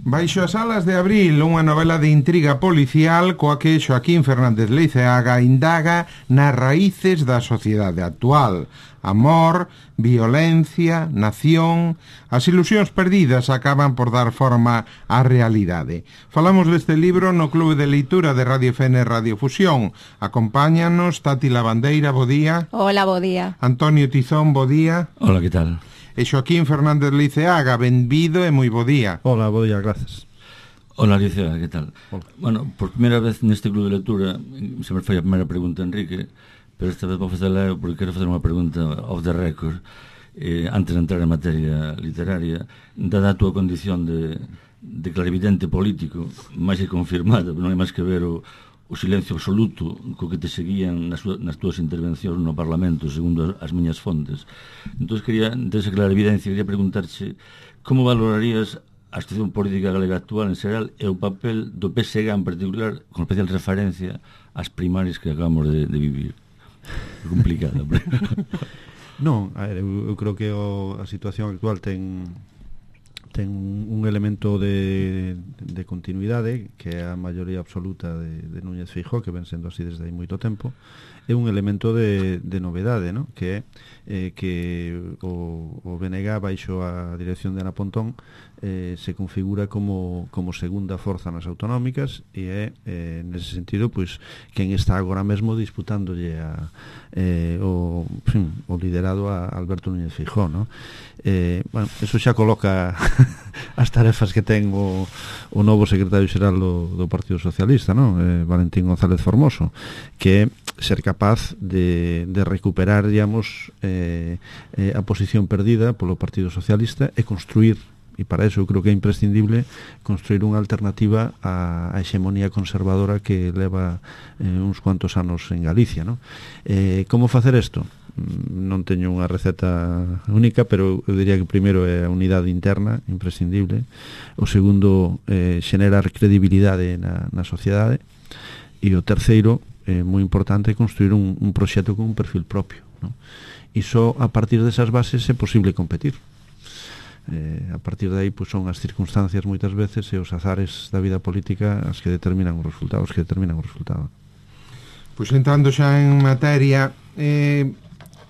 Baixo as alas de abril, unha novela de intriga policial coa que Xoaquín Fernández Leiceaga indaga nas raíces da sociedade actual. Amor, violencia, nación... As ilusións perdidas acaban por dar forma á realidade. Falamos deste libro no Clube de Leitura de Radio FN Radio Fusión. Acompáñanos Tati Lavandeira, bo día. Hola, bo día. Antonio Tizón, bo día. Hola, que tal? E Xoaquín Fernández Leiceaga, benvido e moi bo día. Hola, bo día, gracias. Hola, Alicia, que tal? Hola. Bueno, por primeira vez neste club de lectura, sempre foi a primeira pregunta, Enrique, pero esta vez vou facela eu porque quero facer unha pregunta off the record, antes de entrar en materia literaria, dada a túa condición de clarividente político, máis que confirmada, non hai máis que ver o silencio absoluto co que te seguían nas túas intervencións no Parlamento, segundo as miñas fontes. Entón, desa clarividencia, quería preguntarche como valorarías a situación política galega actual en xeral e o papel do PSG en particular, con especial referencia ás primarias que acabamos de vivir. É complicado. Non, eu creo que a situación actual ten un elemento de continuidade, que é a maioría absoluta de Núñez Feijóo, que ven sendo así desde hai moito tempo, é un elemento de novedade, ¿no? Que é que o BNG baixo a dirección de Ana Pontón se configura como segunda forza nas autonómicas e é nese sentido pois quen está agora mesmo disputándolle o liderado a Alberto Núñez Feijóo, ¿no? Bueno, eso xa coloca as tarefas que ten o novo secretario xeral do Partido Socialista, ¿no? Valentín González Formoso, que é ser capaz de recuperar, digamos, a posición perdida polo Partido Socialista e construir, e para eso eu creo que é imprescindible construir unha alternativa á hexemonía conservadora que leva uns cuantos anos en Galicia, ¿no? Como facer isto? Non teño unha receta única, pero eu diría que o primeiro é a unidade interna, imprescindible. O segundo, xenerar credibilidade na sociedade. E o terceiro, moi importante, construir un proxecto con un perfil propio, ¿no? E só a partir desas bases é posible competir. A partir de aí pues, son as circunstancias moitas veces e os azares da vida política as que determinan os resultados, Pois entrando xa en materia,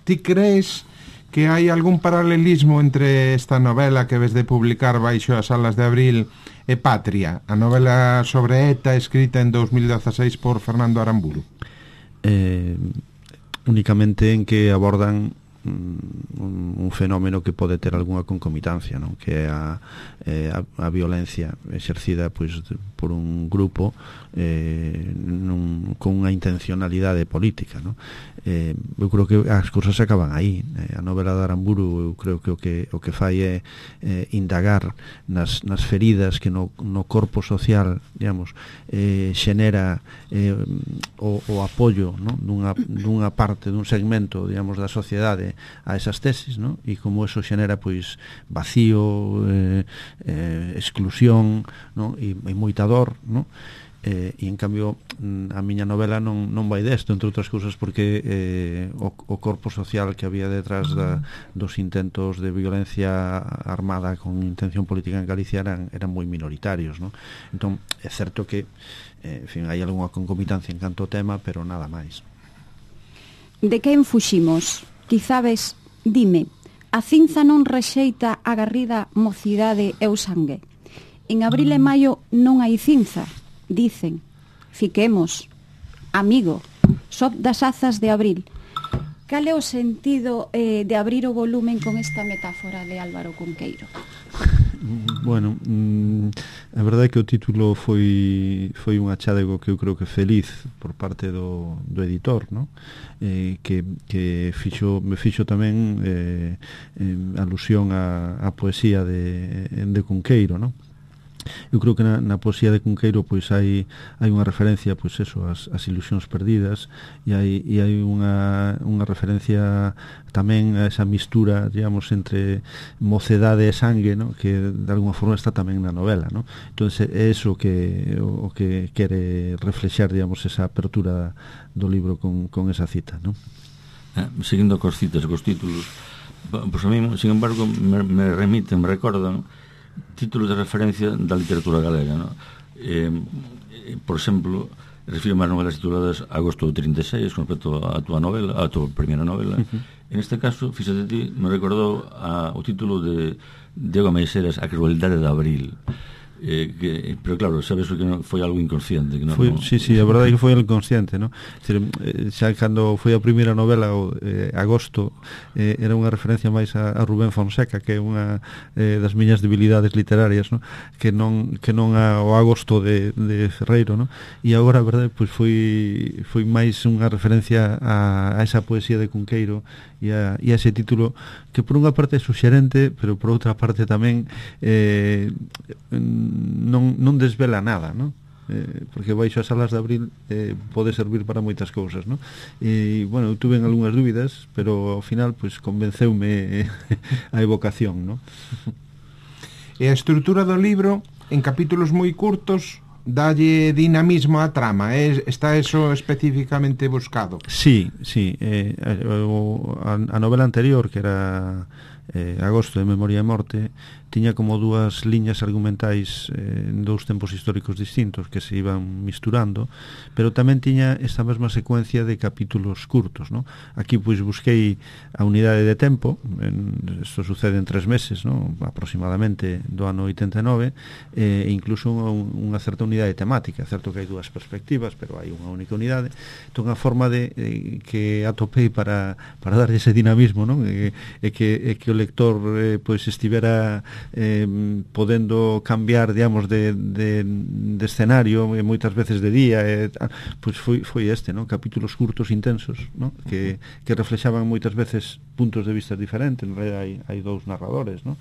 ti crees que hai algún paralelismo entre esta novela que ves de publicar baixo as alas de abril e Patria, a novela sobre ETA escrita en 2016 por Fernando Aramburu? Únicamente en que abordan un fenómeno que pode ter algunha concomitancia, non? Que é a violencia exercida pois, por un grupo con unha intencionalidade política, non? Eu creo que as cousas acaban aí. A novela de Aramburu eu creo que o que fai é indagar nas feridas que no corpo social, digamos, xenera o apoio, non? dunha parte, dun segmento, digamos, da sociedade a esas tesis, non? E como eso xenera pois vacío, exclusión, non? E moita dor, non? E en cambio a miña novela non vai desto, entre outras cousas porque o corpo social que había detrás dos intentos de violencia armada con intención política en Galicia eran moi minoritarios, non? Entón é certo que en fin, hai algunha concomitancia en canto ao tema, pero nada máis. De quen fuximos? Quizabes, dime, a cinza non rexeita a garrida mocidade e o sangue. En abril e maio non hai cinza, dicen. Fiquemos, amigo, só das azas de abril. Cal é o sentido de abrir o volumen con esta metáfora de Álvaro Cunqueiro? Bueno, a verdade é que o título foi un achádego que eu creo que feliz por parte do editor, ¿no? Que me fixo tamén alusión á poesía de Cunqueiro, ¿no? Eu creo que na poesía de Cunqueiro pois hai unha referencia pois eso, as ilusións perdidas e hai unha referencia tamén a esa mistura, digamos, entre mocedade e sangue, ¿no? Que de alguma forma está tamén na novela, ¿no? Entonces é eso o que quere reflexar, digamos, esa apertura do libro con esa cita, ¿no? Seguindo cos citas, cos títulos, pois a mí, sin embargo, me recordan títulos de referencia da literatura galega, no? Por exemplo, refiro máis novelas tituladas Agosto do 36 con respecto a tua novela, a tua primeira novela. En este caso, fíxate ti, me recordou o título de Diego Meixeras, A crueldade de Abril. Pero claro, sabes que foi algo inconsciente que Sí, a verdade é que foi algo inconsciente, ¿no? Xa cando foi a primeira novela Agosto, era unha referencia máis a Rubén Fonseca, que é unha das miñas debilidades literarias, ¿no? que non ao Agosto de Ferreiro, ¿no? E agora, a verdade, pois foi máis unha referencia a esa poesía de Cunqueiro e a ese título que por unha parte é suxerente, pero por outra parte tamén non desvela nada, ¿no? Porque baixo as alas de Abril pode servir para moitas cousas, ¿no? E, bueno, eu tuve algunhas dúbidas, pero ao final, pues, convenceume a evocación, ¿no? E a estrutura do libro, en capítulos moi curtos, dalle dinamismo á trama, está eso especificamente buscado? Sí, a novela anterior, que era Agosto de Memoria e Morte, tiña como dúas liñas argumentais en dous tempos históricos distintos que se iban misturando, pero tamén tiña esta mesma secuencia de capítulos curtos, ¿no? Aquí pois busquei a unidade de tempo, isto sucede en 3 meses, ¿no? Aproximadamente do ano 89, e incluso unha certa unidade temática, certo que hai dúas perspectivas, pero hai unha única unidade. Entón a forma que atopei para darlle ese dinamismo, ¿no? que o lector pois estivera podendo cambiar, digamos, de escenario, moitas veces de día, pois foi este, ¿no? Capítulos curtos intensos, ¿no? que reflexaban moitas veces puntos de vista diferentes. En realidad hai dous narradores, ¿no?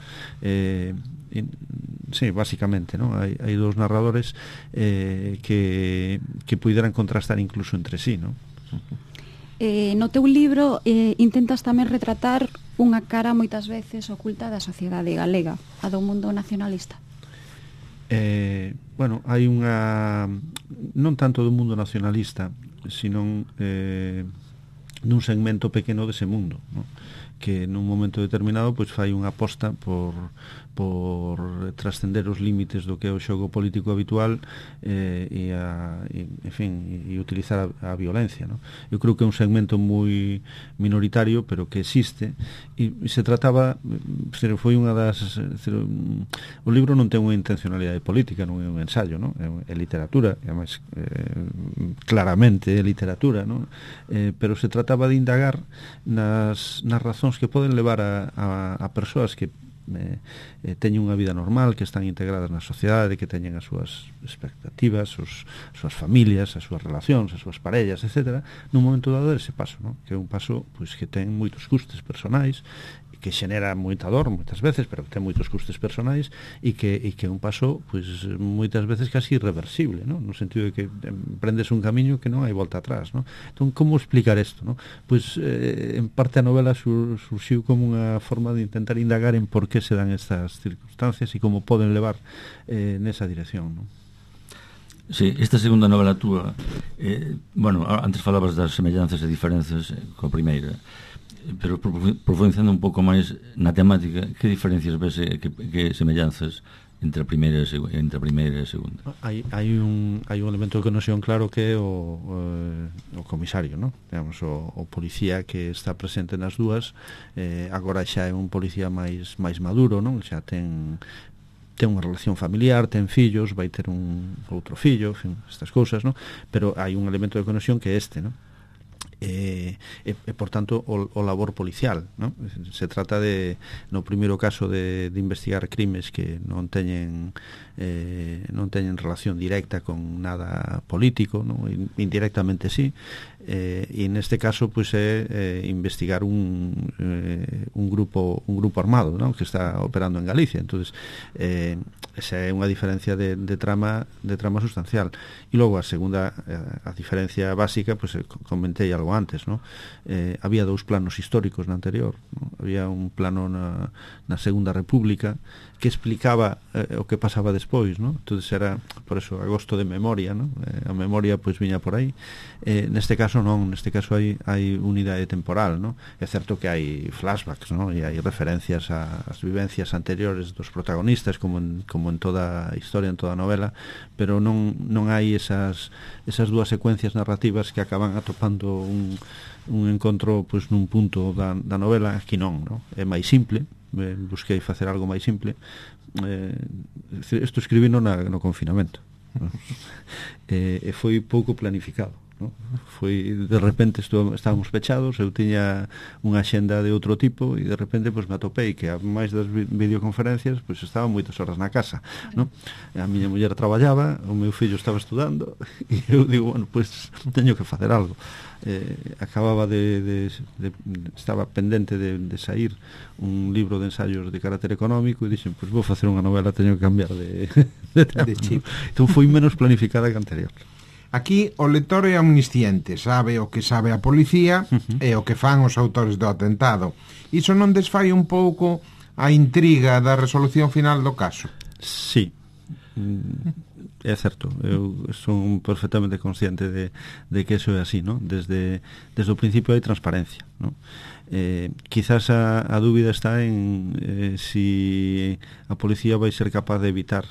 Sí, básicamente, ¿no? Hai dous narradores que puideran contrastar incluso entre sí, ¿no? No teu libro intentas tamén retratar unha cara moitas veces oculta da sociedade galega, a do mundo nacionalista. Bueno, hai unha, non tanto do mundo nacionalista, sino dun segmento pequeno dese mundo, ¿no? Que nun momento determinado pois fai unha aposta por trascender os límites do que é o xogo político habitual e utilizar a violencia, ¿no? Eu creo que é un segmento moi minoritario, pero que existe, e se trataba, foi unha das, o libro non ten unha intencionalidade política, non é un ensayo, ¿no? É literatura, e además claramente é literatura, ¿no? Pero se trataba de indagar nas razóns que poden levar a persoas que teñen unha vida normal, que están integradas na sociedade, que teñen as súas expectativas, as súas familias, as súas relacións, as súas parellas, etc., nun momento dado ese paso, ¿no? Que é un paso pois que ten moitos custes personais, que xenera moita dor moitas veces, pero que ten moitos custes personais, e que é un paso pois moitas veces casi irreversible, ¿no? No sentido de que prendes un camiño que non hai volta atrás, ¿no? Entón, como explicar isto, ¿no? Pois en parte a novela surxiu como unha forma de intentar indagar en por que se dan estas circunstancias e como poden levar nesa dirección, ¿no? Sí, esta segunda novela túa, bueno, antes falabas das semellanzas e diferenzas coa primeira, pero profundizando un pouco máis na temática, que diferencias ves, que semellanzas entre a primeira e a segunda? Hai un elemento de conexión claro que é o comisario, ¿no? Digamos, o policía que está presente nas dúas, agora xa é un policía máis maduro, non? Xa ten unha relación familiar, ten fillos, vai ter un outro fillo, en fin, estas cousas, ¿no? Pero hai un elemento de conexión que é este, ¿no? Por tanto o labor policial, ¿no? Se trata de, no primeiro caso, de investigar crimes que non teñen relación directa con nada político, ¿no? Indirectamente sí, e neste caso pois é investigar un grupo armado, ¿no? Que está operando en Galicia. Entonces esa é unha diferencia de trama sustancial. E logo a segunda, a diferencia básica, pois comentei algo antes, ¿no? Había dous planos históricos na anterior, ¿no? Había un plano na Segunda República que explicaba o que pasaba despois, ¿no? Entonces era, por eso agosto de memoria, ¿no? A memoria pois viña por aí. Neste caso non, neste caso hai unidade temporal, ¿no? É certo que hai flashbacks, ¿no? E hai referencias ás vivencias anteriores dos protagonistas como en toda a historia, en toda a novela, pero non hai esas dúas secuencias narrativas que acaban atopando un encontro pois nun punto da novela. Aquí non, ¿no? É máis simple, busquei facer algo máis simple. Isto escribino no confinamento, ¿no? E foi pouco planificado, ¿no? Foi, de repente estábamos pechados, eu tiña unha axenda de outro tipo e de repente pois me atopei que a máis das videoconferencias pois estaba moitas horas na casa, ¿no? A miña muller traballaba, o meu fillo estaba estudando e eu digo, bueno, pois teño que facer algo. Acababa estaba pendente de sair un libro de ensaios de carácter económico e dixen, pois vou facer unha novela, teño que cambiar de chip. Entón foi menos planificada que anterior. Aquí o lector é omnisciente, sabe o que sabe a policía e o que fan os autores do atentado. Iso non desfai un pouco a intriga da resolución final do caso? Sí, é certo, eu son perfectamente consciente de que eso é así, ¿no? Desde o principio hai transparencia, ¿no? Quizás a dúbida está en si a policía vai ser capaz de evitar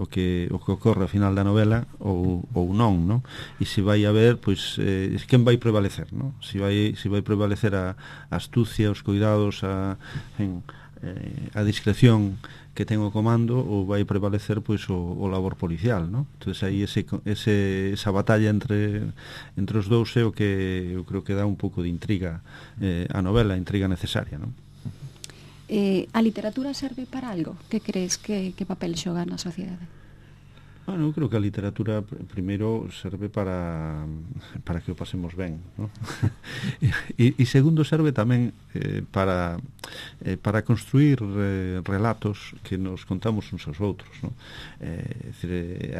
o que ocorre ao final da novela ou non, ¿no? E se vai haber, pois, quen vai prevalecer, ¿no? Se vai prevalecer a astucia, os cuidados, a discreción que ten o comando ou vai prevalecer pois o labor policial, ¿no? Entonces aí esa batalla entre os dous é o que eu creo que dá un pouco de intriga a novela, intriga necesaria, ¿no? A literatura serve para algo? Que crees que papel xoga na sociedade? Bueno, eu creo que a literatura primeiro serve para que o pasemos ben, ¿no? e segundo serve tamén para construir relatos que nos contamos uns aos outros, ¿no?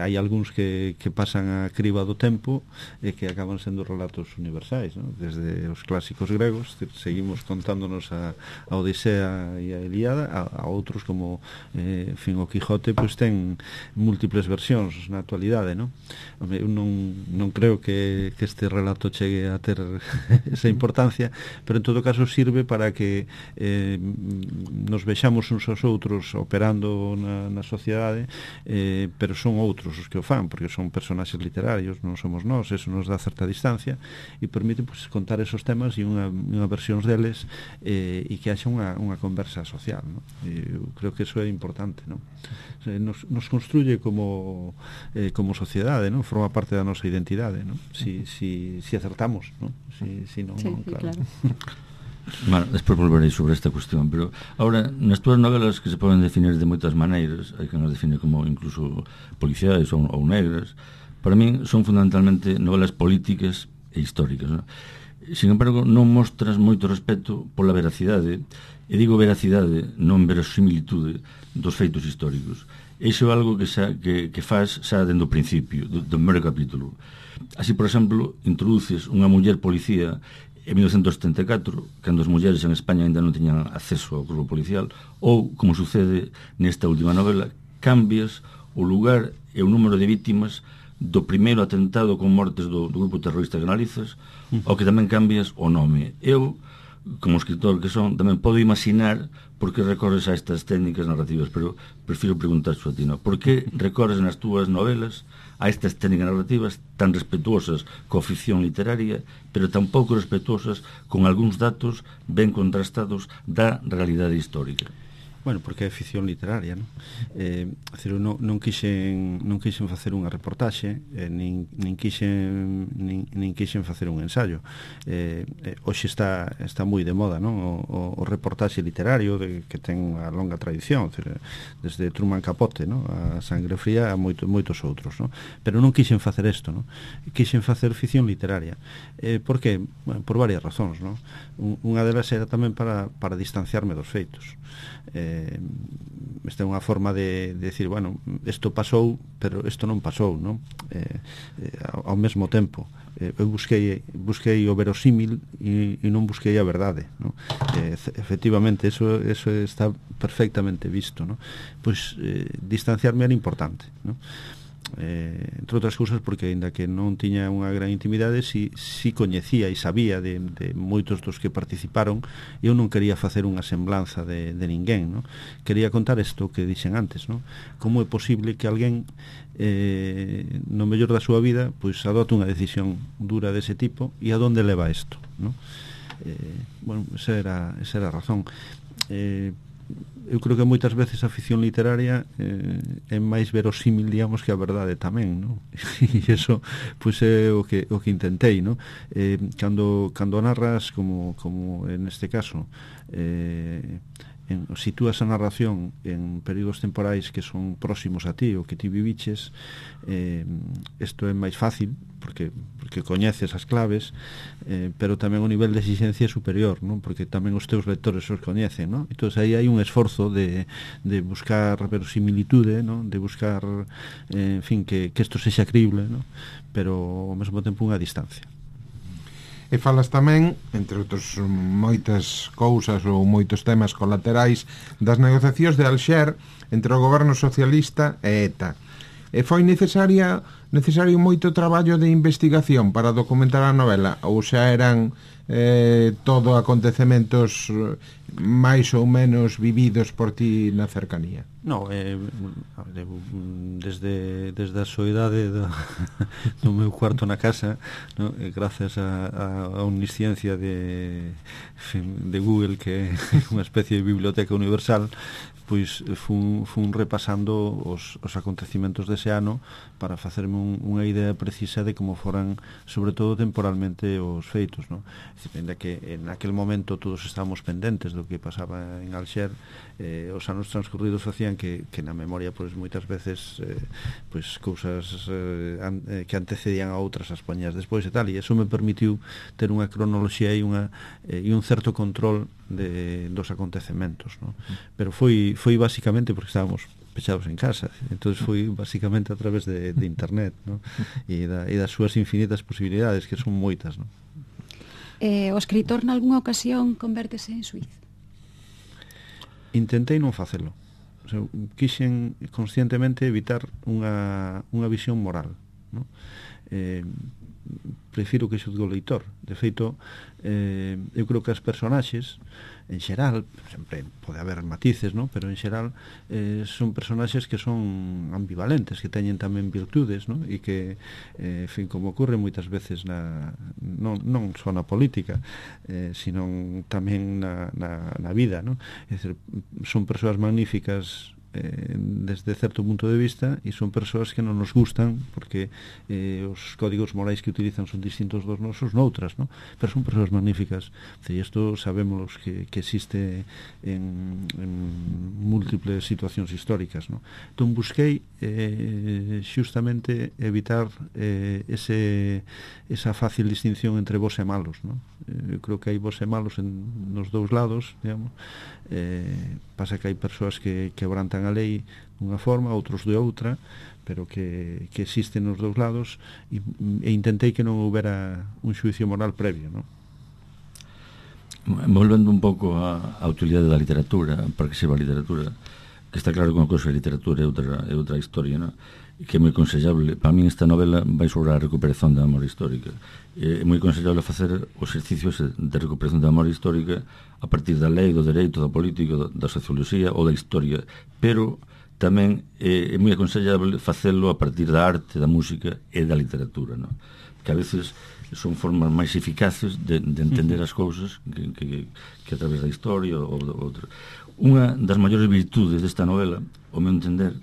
Hai algúns que pasan a criba do tempo e que acaban sendo relatos universais, ¿no? Desde os clásicos gregos seguimos contándonos a Odisea e a Ilíada, a outros como o Quijote pois ten múltiples versións na actualidade, ¿no? Eu non creo que este relato chegue a ter esa importancia, pero en todo caso sirve para que nos vexamos uns aos outros operando na sociedade, pero son outros os que o fan, porque son personaxes literarios, non somos nós, eso nos dá certa distancia e permite pues, contar esos temas e unha versións deles e que haxa unha conversa social, ¿no? Eu creo que eso é importante, ¿no? Nos construye como sociedade, ¿no? Forma parte da nosa identidade, ¿no? Si acertamos, ¿no? Si non, sí, non, claro. Bueno, despois volverei sobre esta cuestión, pero ahora, nas túas novelas que se poden definir de moitas maneiras, hai que nos define como incluso policiais ou negras, para min son fundamentalmente novelas políticas e históricas, ¿no? Sin embargo, non mostras moito respeto pola veracidade, e digo veracidade, non verosimilitude dos feitos históricos. Iso é algo que faz xa dende o principio do primeiro capítulo. Así, por exemplo, introduces unha muller policía en 1974, cando as mulleres en España ainda non teñan acceso ao corpo policial, ou, como sucede nesta última novela, cambias o lugar e o número de vítimas do primeiro atentado con mortes do grupo terrorista que analizas, ao que tamén cambias o nome. Eu, como escritor que son, tamén podo imaginar por que recorres a estas técnicas narrativas, pero prefiro preguntar a ti, ¿no? Por que recorres nas túas novelas a estas técnicas narrativas tan respetuosas coa ficción literaria, pero tan pouco respetuosas con algúns datos ben contrastados da realidade histórica? Bueno, porque é ficción literaria, non? Non quixen facer unha reportaxe, nin quixen facer un ensayo. Hoxe está moi de moda, non? O reportaxe literario que ten unha longa tradición, desde Truman Capote, non? A Sangre Fría a moitos outros, non? Pero non quixen facer isto, non? Quixen facer ficción literaria. Por que? Bueno, por varias razóns, non? Unha delas era tamén para distanciarme dos feitos. esta é unha forma de decir, bueno, isto pasou, pero isto non pasou, non? Ao mesmo tempo, eu busquei o verosímil e non busquei a verdade, non? Efectivamente, eso está perfectamente visto, non? Pois distanciarme era importante, non? Entre outras cousas porque aínda que non tiña unha gran intimidade si coñecía e sabía de moitos dos que participaron. Eu non quería facer unha semblanza de ninguén, no? Quería contar isto que dixen antes, no? Como é posible que alguén no mellor da súa vida pois adote unha decisión dura dese tipo e a donde leva isto, no? Bueno, esa era a razón. Eu creo que moitas veces a ficción literaria é máis verosímil, digamos, que a verdade tamén, non? E iso pois é o que intentei, non? Cando narras como en este caso, sitúas a narración en períodos temporais que son próximos a ti ou que ti viviches, isto é máis fácil porque coñeces as claves, pero tamén o nivel de exigencia é superior, non? Porque tamén os teus lectores os coñecen, non? Entón aí hai un esforzo de buscar verosimilitude, non? De buscar, en fin, que isto sexa creíble, non? Pero ao mesmo tempo unha distancia. E falas tamén, entre outros moitas cousas ou moitos temas colaterais, das negociacións de Alxer entre o goberno socialista e ETA. E foi necesario moito traballo de investigación para documentar a novela, ou xa eran todo acontecementos máis ou menos vividos por ti na cercanía? No, desde a soidade do meu cuarto na casa, no? Gracias a omnisciencia de Google, que é unha especie de biblioteca universal, pois fun repasando os acontecimentos dese ano para facerme unha idea precisa de como foran, sobre todo temporalmente, os feitos, no? Ainda que en aquel momento todos estábamos pendentes do que pasaba en Alxer, os anos transcurridos facían que na memoria pois moitas veces pois cousas que antecedían a outras as poñías despois e tal, e eso me permitiu ter unha cronoloxía e un certo control dos acontecementos, no? Pero foi basicamente porque estábamos pechados en casa, entonces foi basicamente a través de internet, no? E das súas infinitas posibilidades, que son moitas, no? O escritor nalgúna ocasión convértese en suiz? Intentei non facelo. O sea, quixen conscientemente evitar unha visión moral, no? Prefiro que xudgue o leitor. De feito, eu creo que as personaxes en xeral, sempre pode haber matices, ¿no? Pero en xeral son personaxes que son ambivalentes, que teñen tamén virtudes, ¿no? E que, en fin, como ocorre moitas veces non só na política, sino tamén na vida, ¿no? É dicir, son persoas magníficas desde certo punto de vista, e son persoas que non nos gustan porque os códigos morais que utilizan son distintos dos nosos noutras, ¿no? Pero son persoas magníficas, e isto sabemos que existe en múltiples situacións históricas, ¿no? Entón busquei xustamente evitar esa fácil distinción entre bons e malos, ¿no? Eu creo que hai bons e malos nos dous lados, digamos. Pasa que hai persoas que quebrantan a lei dunha forma, outros de outra, pero que existen nos dous lados, e intentei que non houbera un xuicio moral previo, non? Volvendo un pouco á utilidade da literatura, para que seba a literatura, que está claro que unha cousa é literatura e outra historia, non? Que é moi aconsellable. Para min esta novela vai sobre a recuperación da memoria histórica. É moi aconsellable facer os exercicios de recuperación da memoria histórica a partir da lei, do dereito, da política, da socioloxía ou da historia, pero tamén é moi aconsellable facelo a partir da arte, da música e da literatura, non? Que a veces son formas máis eficaces de entender as cousas que a través da historia ou outra. Unha das maiores virtudes desta novela, ao meu entender,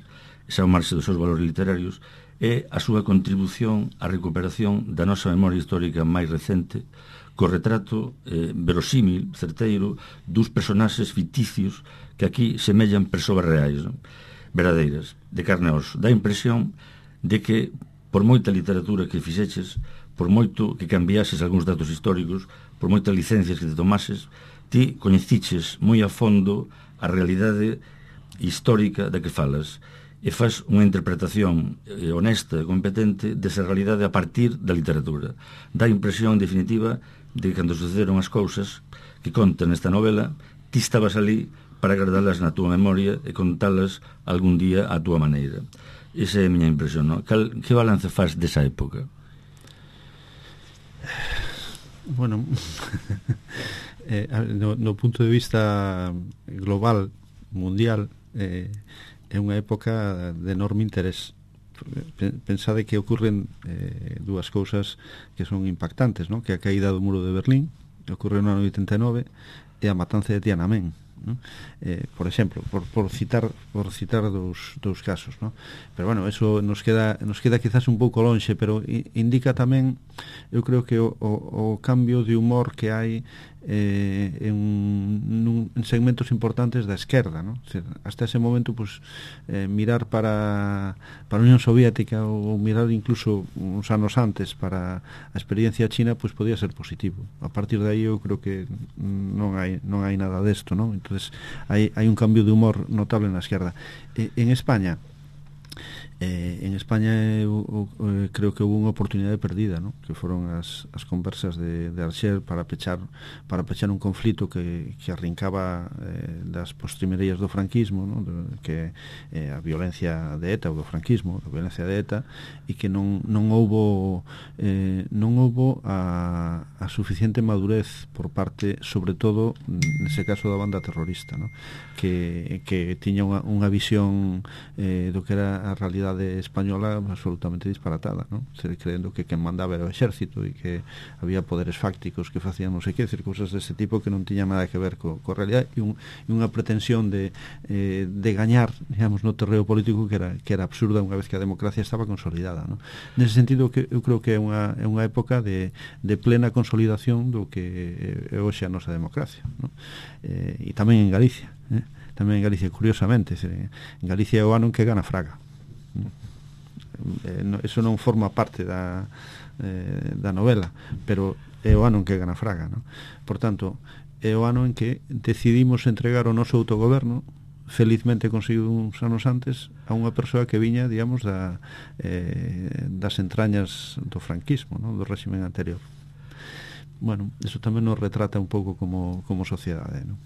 xa ao marxe dos seus valores literarios, é a súa contribución á recuperación da nosa memoria histórica máis recente, co retrato verosímil, certeiro, dos personaxes ficticios que aquí semellan persoas reais, non? Verdadeiras, de carne e oso. Dá a impresión de que, por moita literatura que fixeches, por moito que cambiases algúns datos históricos, por moitas licencias que te tomases, ti coñeciches moi a fondo a realidade histórica da que falas e faz unha interpretación honesta e competente desa realidade a partir da literatura. Dá a impresión, en definitiva, de que cando sucederon as cousas que contan nesta novela, ti estabas ali para guardalas na túa memoria e contalas algún día á túa maneira. Esa é a miña impresión, non? Que balance faz desa época? Bueno, no punto de vista global, mundial, é unha época de enorme interés. Pensade que ocurren dúas cousas que son impactantes, non? Que a caída do muro de Berlín ocorreu no ano 89 e a matanza de Tiananmen, non? Por exemplo, por citar dous casos, non? Pero bueno, eso nos queda quizás un pouco lonxe, pero indica tamén, eu creo que o cambio de humor que hai en segmentos importantes da esquerda, ¿no? Hasta ese momento, pues, mirar para a Unión Soviética ou mirar incluso uns anos antes para a experiencia china, pues podía ser positivo. A partir de aí eu creo que non hai nada desto, ¿no? Entonces hai un cambio de humor notable na esquerda. En España eu creo que houve unha oportunidade perdida, ¿no? Que foron as conversas de Alger para pechar un conflito que arrincaba das postrimerías do franquismo, ¿no? Que a violencia de ETA ou do franquismo, a violencia de ETA, e que non houbo a suficiente madurez por parte, sobre todo nese caso da banda terrorista, ¿no? Que tiña unha visión do que era a realidade española absolutamente disparatada, ¿no? Creendo que quen mandaba era o exército e que había poderes fácticos que facían non sei que, cousas deste tipo que non tiñan nada que ver co realidade, e unha pretensión de gañar, digamos, no terreo político que era absurda unha vez que a democracia estaba consolidada, ¿no? Nese sentido, que eu creo que é unha época de plena consolidación do que é hoxe a nosa democracia, ¿no? E tamén en Galicia, curiosamente, en Galicia é o ano en que gana Fraga. Eso non forma parte da novela, pero é o ano en que gana Fraga, ¿no? Por tanto, é o ano en que decidimos entregar o noso autogoberno, felizmente conseguido uns anos antes, a unha persoa que viña, digamos, das entrañas do franquismo, ¿no? Do réxime anterior. Bueno, eso tamén nos retrata un pouco como sociedade, ¿no?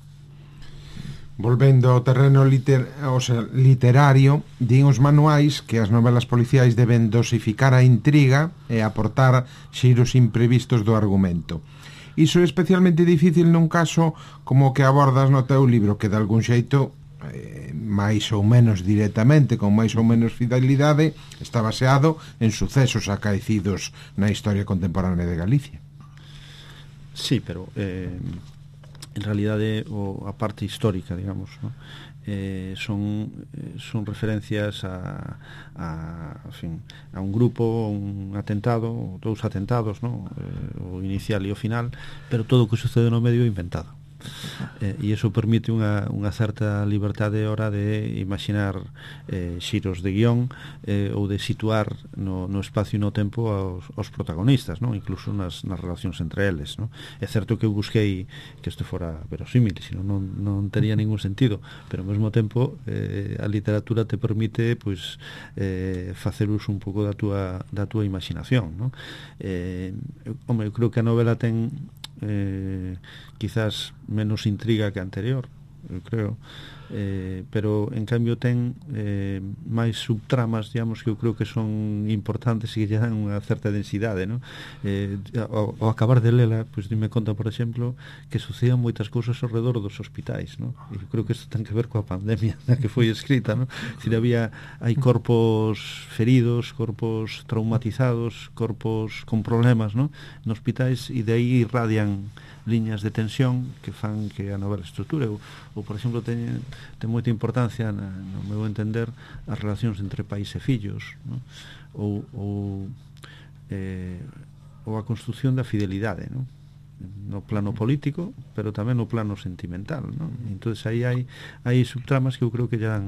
Volvendo ao terreno literario, din os manuais que as novelas policiais deben dosificar a intriga e aportar xiros imprevistos do argumento. Iso é especialmente difícil nun caso como o que abordas no teu libro, que de algún xeito, máis ou menos directamente, con máis ou menos fidelidade, está baseado en sucesos acaecidos na historia contemporánea de Galicia. Sí, pero en realidade a parte histórica, digamos, ¿no? Son referencias a un grupo, un atentado, dous atentados, ¿no? O inicial e o final, pero todo o que sucede no medio é inventado. E iso permite unha certa liberdade a hora de imaginar xiros de guión ou de situar no espacio e no tempo aos protagonistas, ¿no? Incluso nas relacións entre eles, ¿no? É certo que eu busquei que isto fora verosímil, senón non tería ningún sentido, pero ao mesmo tempo a literatura te permite, pois, facer uso un pouco da túa imaginación, ¿no? Eu creo que a novela ten quizás menos intriga que a anterior, eu creo, pero en cambio ten máis subtramas, digamos, que eu creo que son importantes e que lle dan unha certa densidade, ¿no? Ao acabar de lela, pues, dime conta, por exemplo, que sucedían moitas cousas ao redor dos hospitais, ¿no? E eu creo que isto ten que ver coa pandemia na que foi escrita, ¿no? Si hai corpos feridos, corpos traumatizados, corpos con problemas, ¿no? Nos hospitais, e de aí irradian liñas de tensión que fan que a novela estruture, ou por exemplo, ten moita importancia, no meu entender, as relacións entre pais e fillos, ¿no? ou a construción da fidelidade, ¿no? No plano político, pero tamén no plano sentimental, ¿no? Entonces aí hai subtramas que eu creo que ya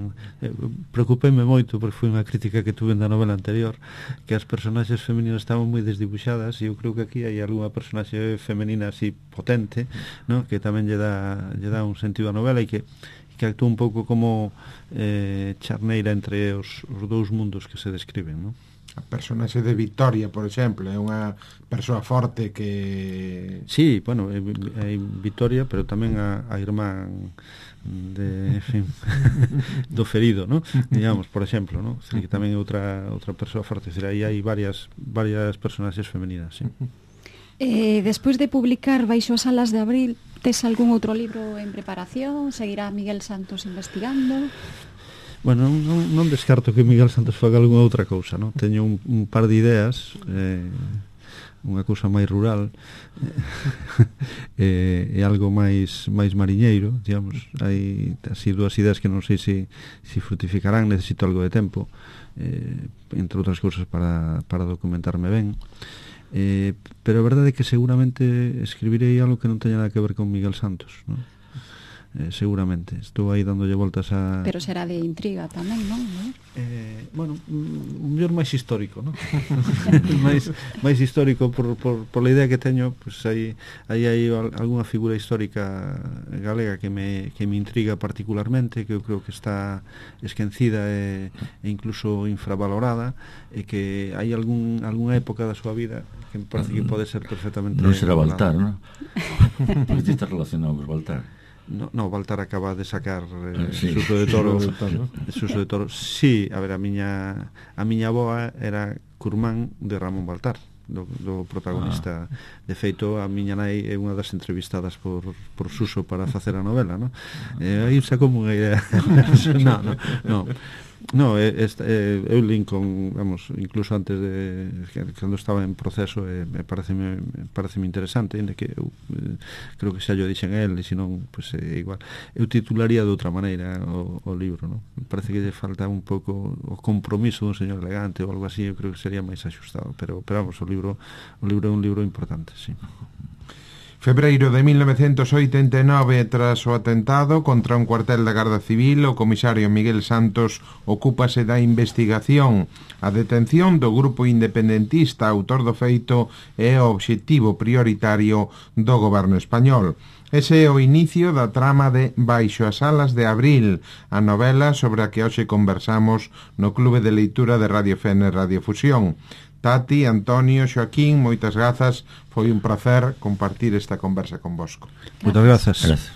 preocupéme moito, porque foi unha crítica que tuve na novela anterior, que as personaxes femininas estaban moi desdibuixadas, e eu creo que aquí hai algunha personaxe femenina así potente, ¿no? Que tamén lle dá un sentido á novela, e que que actúa un pouco como charneira entre os dous mundos que se describen, non? A personaxe de Victoria, por exemplo, é unha persoa forte que... Sí, bueno, é Victoria, pero tamén a irmán de, en fin, do ferido, ¿no? Digamos, por exemplo, ¿no? Que tamén é outra persoa forte, aí hai varias personaxes femeninas, sí. Despois de publicar Baixo as alas de abril, tes algún outro libro en preparación? Seguirá Miguel Santos investigando? Bueno, non descarto que Miguel Santos faga algunha outra cousa, non? Teño un par de ideas, unha cousa máis rural, e algo máis mariñeiro, digamos. Hai así dúas ideas que non sei se frutificarán, necesito algo de tempo, entre outras cousas para documentarme ben. Pero a verdade é que seguramente escribirei algo que non teña nada que ver con Miguel Santos, non? Seguramente, estou aí dándolle voltas a... Pero será de intriga tamén, non? Bueno, un mellor máis histórico, non? máis histórico por a idea que teño, pues hai algunha figura histórica galega que me intriga particularmente, que eu creo que está esquecida e incluso infravalorada, e que hai algunha época da súa vida que me parece que pode ser perfectamente... Non será Baltar, non? Porque está relacionado con Baltar. No, Baltar acaba de sacar Suso de Toro. Suso de Toro. Sí, a ver, a miña avoa era curmán de Ramón Baltar, do protagonista. De feito, a miña nai é unha das entrevistadas por Suso para facer a novela, non? Aí sacou unha idea. No, eu Lincoln, vamos, incluso antes de cando estaba en proceso, me pareceme interesante, ainda que eu creo que xa yo dixen a él, e senón, pois igual eu titularía de outra maneira o libro, non? Me parece que lle falta un pouco o compromiso dun señor elegante ou algo así, eu creo que sería máis axustado, pero vamos, o libro é un libro importante, sí. Febreiro de 1989, tras o atentado contra un cuartel da Garda Civil, o comisario Miguel Santos ocúpase da investigación. A detención do grupo independentista autor do feito é o obxectivo prioritario do goberno español. Ese é o inicio da trama de Baixo as alas de abril, a novela sobre a que hoxe conversamos no Clube de Leitura de Radio Fene Radio Fusión. Tati, Antonio, Xoaquín, moitas grazas, foi un placer compartir esta conversa convosco. Moitas grazas. Gracias.